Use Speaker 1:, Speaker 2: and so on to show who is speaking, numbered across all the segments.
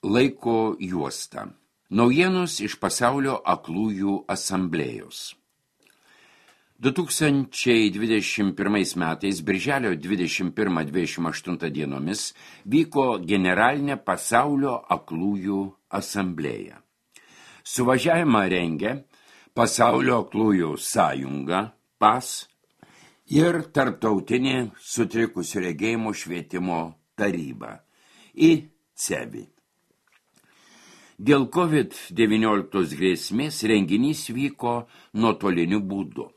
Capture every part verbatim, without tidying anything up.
Speaker 1: Laiko juosta. Naujienos iš pasaulio aklųjų asamblėjos. du tūkstančiai dvidešimt pirmais metais, birželio dvidešimt pirmą - dvidešimt aštuntą dienomis, vyko generalinė pasaulio aklųjų asamblėja. Suvažiavimą rengė Pasaulio aklųjų sąjunga, P A S, ir Tarptautinė sutrikusių regėjimo švietimo taryba, I C E B I. Dėl kovid devyniolika grėsmės renginys vyko nuotoliniu būdu.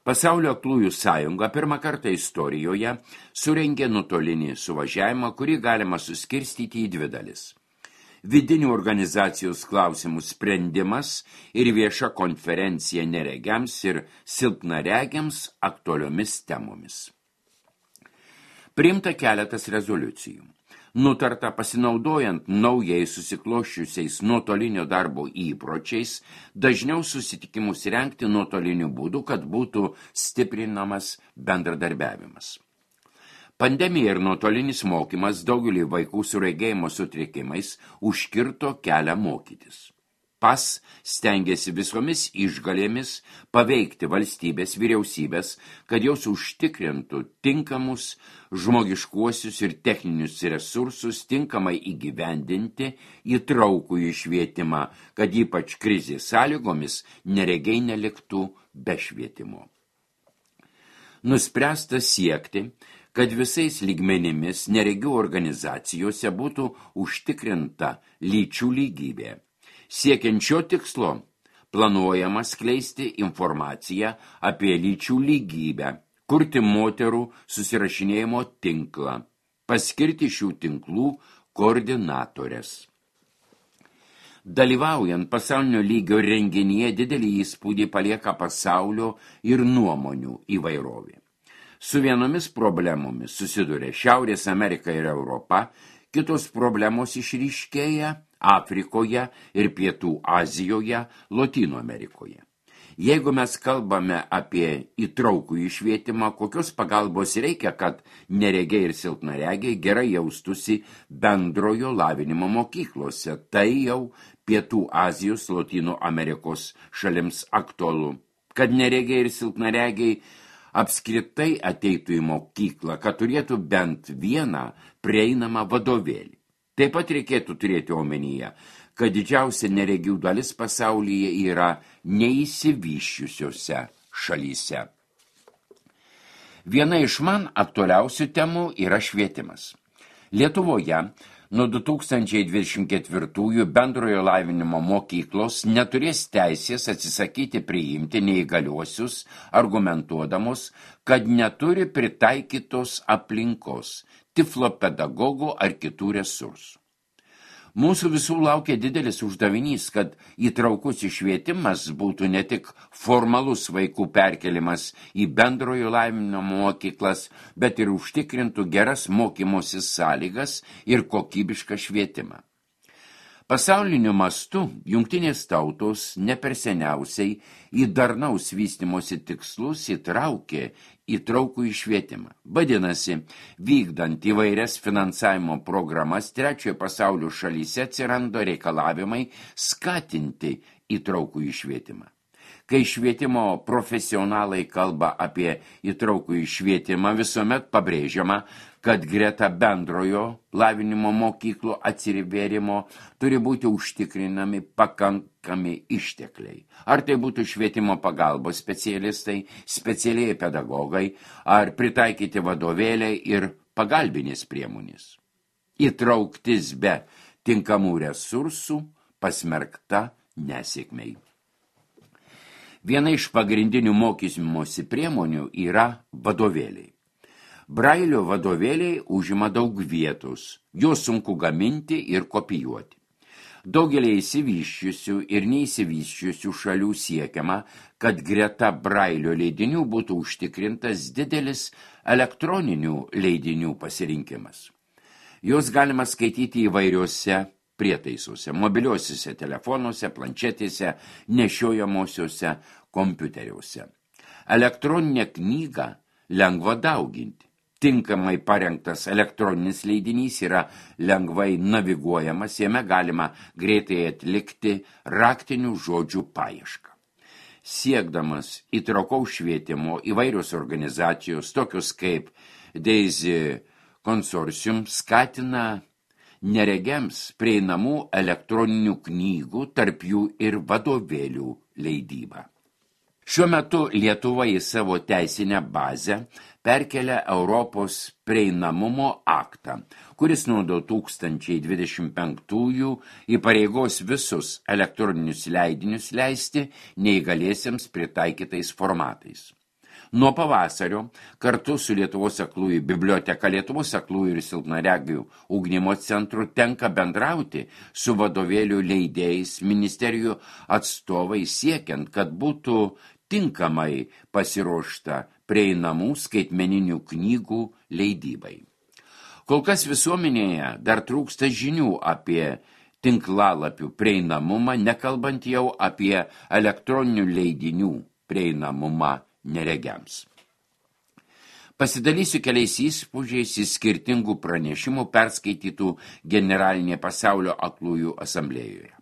Speaker 1: Pasaulio aklųjų sąjunga pirmą kartą istorijoje surengė nuotolinį suvažiavimą, kurį galima suskirstyti į dvi dalis. Vidinių organizacijos klausimų sprendimas ir vieša konferencija neregiams ir silpnaregiams aktualiomis temomis. Priimta keletas rezoliucijų. Nutarta pasinaudojant naujai susikloščiusiais nuotolinio darbo įpročiais, dažniau susitikimus rengti nuotoliniu būdu, kad būtų stiprinamas bendradarbiavimas. Pandemija ir nuotolinis mokymas daugelį vaikų su regėjimo sutrikimais užkirto kelią mokytis. P A S stengiasi visomis išgalėmis paveikti valstybės vyriausybės, kad jos užtikrintų tinkamus žmogiškuosius ir techninius resursus tinkamai įgyvendinti įtraukų į švietimą, kad ypač krizės sąlygomis neregiai neliktų be švietimo. Nuspręsta siekti, kad visais lygmenimis neregių organizacijose būtų užtikrinta lyčių lygybė. Siekiant šio tikslo, planuojama skleisti informaciją apie lyčių lygybę, kurti moterų susirašinėjimo tinklą, paskirti šių tinklų koordinatorės. Dalyvaujant pasaulinio lygio renginyje didelį įspūdį palieka pasaulio ir nuomonių įvairovė. Su vienomis problemomis susiduria Šiaurės Amerika ir Europa, kitos problemos išryškėja Afrikoje ir Pietų Azijoje, Lotynų Amerikoje. Jeigu mes kalbame apie įtraukų švietimą, kokios pagalbos reikia, kad neregiai ir silpnaregiai gerai jaustusi bendrojo lavinimo mokyklose, tai jau Pietų Azijos, Lotynų Amerikos šalims aktualu. Kad neregiai ir silpnaregiai apskritai ateitų į mokyklą, kad turėtų bent vieną prieinamą vadovėlį. Taip pat reikėtų turėti omenyje, kad didžiausia neregių dalis pasaulyje yra neįsivysčiusiose šalyse. Viena iš man aktualiausių temų yra švietimas. Lietuvoje nuo du tūkstančiai dvidešimt ketvirtųjų bendrojo lavinimo mokyklos neturės teisės atsisakyti priimti neįgaliuosius, argumentuodamos, kad neturi pritaikytos aplinkos, tiflopedagogų ar kitų resursų. Mūsų visų laukia didelis uždavinys, kad įtraukus švietimas būtų ne tik formalus vaikų perkelimas į bendrojo lavinimo mokyklas, bet ir užtikrintų geras mokymosi sąlygas ir kokybišką švietimą. Pasauliniu mastu jungtinės tautos ne per seniausiai į darnaus vystymosi tikslus įtraukė įtraukų į švietimą. Vadinasi, vykdant įvairias finansavimo programas trečiojo pasaulio šalyse atsiranda reikalavimai skatinti įtraukų į švietimą. Kai švietimo profesionalai kalba apie įtraukų į švietimą, visuomet pabrėžiama, kad greta bendrojo lavinimo mokyklų atsivėrimo turi būti užtikrinami pakankami ištekliai. Ar tai būtų švietimo pagalbos specialistai, specialiai pedagogai, ar pritaikyti vadovėliai ir pagalbinės priemonės. Įtrauktis be tinkamų resursų pasmerkta nesėkmei. Viena iš pagrindinių mokymosi priemonių yra vadovėliai. Brailio vadovėliai užima daug vietos, juos sunku gaminti ir kopijuoti. Daugelį išsivysčiusių ir neįsivysčiusių šalių siekiama, kad greta Brailio leidinių būtų užtikrintas didelis elektroninių leidinių pasirinkimas. Juos galima skaityti įvairiuose prietaisuose, mobiliuosiuose telefonuose, planšetėse, nešiojamosiuose kompiuteriuose. Elektroninę knygą lengva dauginti. Tinkamai parengtas elektroninis leidinys yra lengvai naviguojamas, jame galima greitai atlikti raktinių žodžių paiešką. Siekdamas įtraukaus švietimo įvairios organizacijos, tokios kaip Daisy Consortium, skatina neregiams prieinamų elektroninių knygų, tarp jų ir vadovėlių leidybą. Šiuo metu Lietuva į savo teisinę bazę perkelia Europos prieinamumo aktą, kuris nuo du tūkstančiai dvidešimt penktųjų įpareigos visus elektroninius leidinius leisti neįgaliesiems pritaikytais formatais. Nuo pavasario kartu su Lietuvos aklųjų biblioteka, Lietuvos aklųjų ir silpnaregių ugdymo centru tenka bendrauti su vadovėlių leidėjais, ministerijų atstovai siekiant, kad būtų tinkamai pasiruošta prieinamų skaitmeninių knygų leidybai. Kol kas visuomenėje dar trūksta žinių apie tinklalapių prieinamumą, nekalbant jau apie elektroninių leidinių prieinamumą neregiams. Pasidalysiu keliais įspūdžiais į skirtingų pranešimų perskaitytų Generalinėje pasaulio aklųjų asamblėjoje.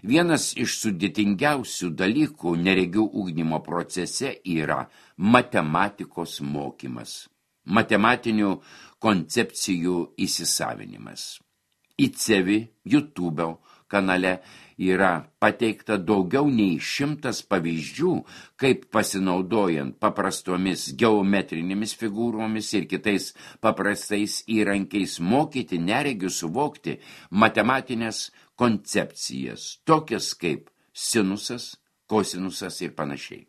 Speaker 1: Vienas iš sudėtingiausių dalykų neregių ugdymo procese yra matematikos mokymas, matematinių koncepcijų įsisavinimas. Į Cevi, YouTube kanale yra pateikta daugiau nei šimtas pavyzdžių, kaip pasinaudojant paprastomis geometrinėmis figūromis ir kitais paprastais įrankiais mokyti neregių suvokti matematinės koncepcijas, tokias kaip sinusas, kosinusas ir panašiai.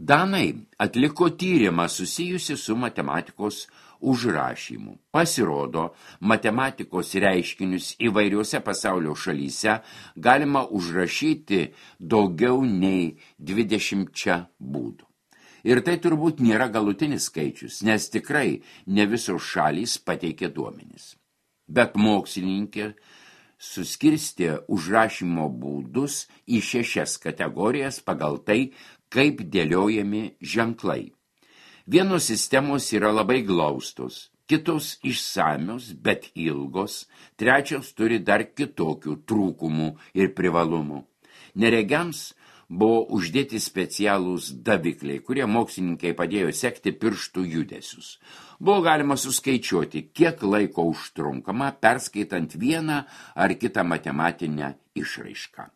Speaker 1: Danai atliko tyrimą susijusi su matematikos užrašymu. Pasirodo, matematikos reiškinius įvairiuose pasaulio šalyse galima užrašyti daugiau nei dvidešimčia būdų. Ir tai turbūt nėra galutinis skaičius, nes tikrai ne visos šalys pateikė duomenis. Bet mokslininkė suskirstė užrašymo būdus į šešias kategorijas pagal tai, kaip dėliojami ženklai. Vienos sistemos yra labai glaustos, kitos išsamios, bet ilgos, trečios turi dar kitokių trūkumų ir privalumų. Neregiams buvo uždėti specialūs davikliai, kurie mokslininkai padėjo sekti pirštų judesius. Buvo galima suskaičiuoti, kiek laiko užtrunkama perskaitant vieną ar kitą matematinę išraišką.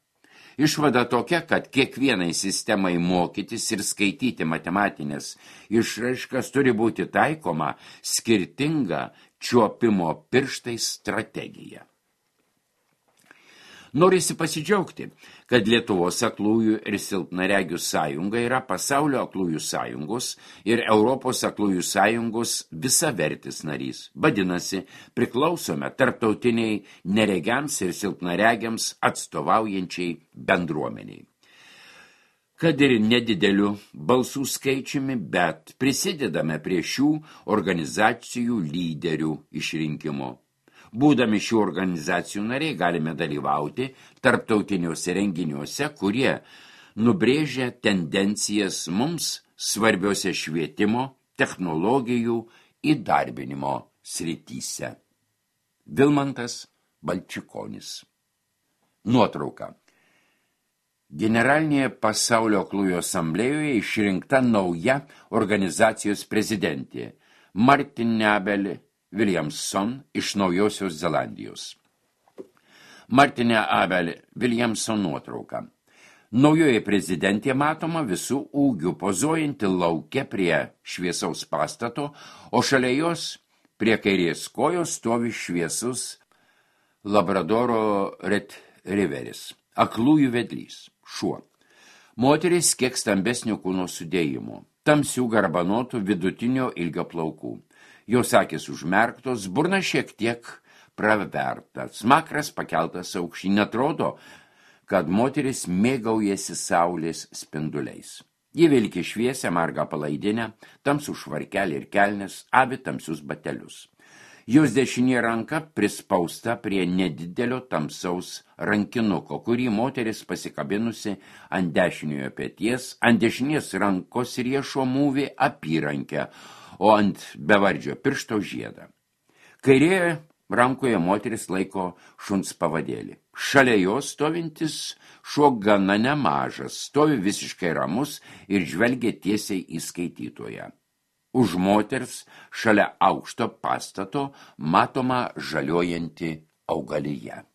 Speaker 1: Išvada tokia, kad kiekvienai sistemai mokytis ir skaityti matematinės išraiškas turi būti taikoma skirtinga čiuopimo pirštais strategija. Norisi pasidžiaugti, kad Lietuvos aklųjų ir silpnaregių sąjunga yra Pasaulio aklųjų sąjungos ir Europos aklųjų sąjungos visavertis narys. Vadinasi, priklausome tarptautiniai neregiams ir silpnaregiams atstovaujančiai bendruomeniai. Kad ir nedideliu balsų skaičiumi, bet prisidedame prie šių organizacijų lyderių išrinkimo. Būdami šių organizacijų nariai galime dalyvauti tarptautiniuose renginiuose, kurie nubrėžia tendencijas mums svarbiose švietimo, technologijų įdarbinimo srityse. Vilmantas Balčikonis. Nuotrauka. Generalinėje pasaulio aklųjų asamblėjoje išrinkta nauja organizacijos prezidentė Martin Abel Williamson iš Naujosios Zelandijos. Martinė Abel Williamson nuotrauka. Naujoje prezidentė matoma visų ūgių pozuojanti lauke prie šviesaus pastato, o šalia jos prie kairės kojos stovi šviesus Labradoro retrieveris, aklųjų vedlys, šuo. Moteris kiek stambesnio kūno sudėjimo, tamsių garbanotų vidutinio ilgio plaukų. Jos akys užmerktos, burna šiek tiek praverta, smakras pakeltas aukštyn, atrodo, kad moteris mėgaujasi saulės spinduliais. Ji vilki šviesią margą palaidinę, tamsų švarkelį ir kelnes, avi tamsius batelius. Jos dešinė ranka prispausta prie nedidelio tamsaus rankinuko, kurį moteris pasikabinusi ant dešiniojo peties, ant dešinės rankos riešo mūvį apyrankę, o ant bevardžio piršto žiedą. Kairėje rankoje moteris laiko šuns pavadėlį. Šalia jos stovintis šuo gana nemažas, stovi visiškai ramus ir žvelgia tiesiai į skaitytoją. Už moters šalia aukšto pastato matoma žaliojanti augalija.